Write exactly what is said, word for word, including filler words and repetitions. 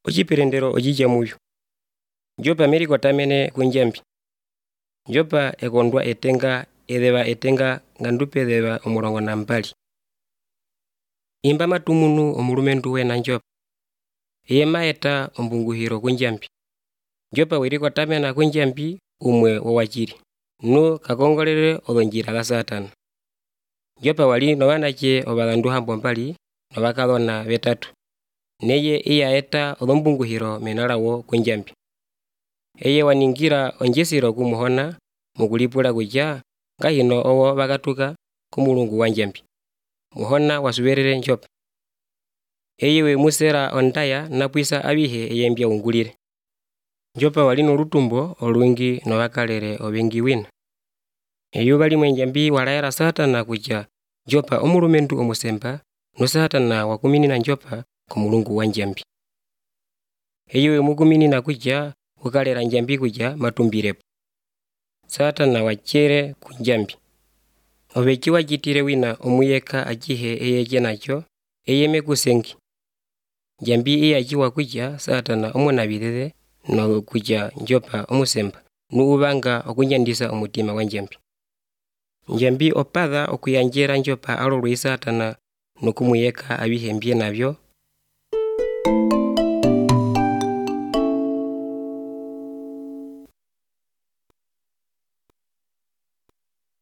Ociperendero ocija muyu. Njopa merikotamene kunjambi. Njopa ekondwa etenga edheva etenga ngandupe edheva omurongo nambali. Imba matumunu omulumentu wena njopa. Eye maeta ombunguhiro kunjambi. Njopa werikotamena kunjambi umwe wowachiri. Nu kakongolele odhonjira la satana. Njopa wali nowanache obalandu hambo mbali nowakadhona betatu. Neye iya eta odhombunguhiro menalawo kunjambi. Eye waningira onjesiro kumuhona mukulipula kutya ngahino owo bakatuka kumulungu wanjambi. Muhona wasuberere njopa. Eye we musera ondaya napwisa abihe eye mbya ungulire. Njopa wali nolutumbo olungi nowakalele obengi wina. Eyo bali mwenjambi walaera satana kutya njopa omulumentu omusemba no satana wakuminina njopa kumulungu wanjambi. Eyo we mukuminina kutya ukalera njambi kutya matumbirepo. Satana wachere kunjambi. Obeki wajitire wina omuyeka ajihe eye jenacho eye mekusengi. Njambi iya ajiwa kutya satana omunabirere no kutya njopa omusemba nu ubanga okunyandisa omutima wanjambi. Njambi opadha okuyanjera njopa alolwe satana nokumuyeka abihe mbye nabyo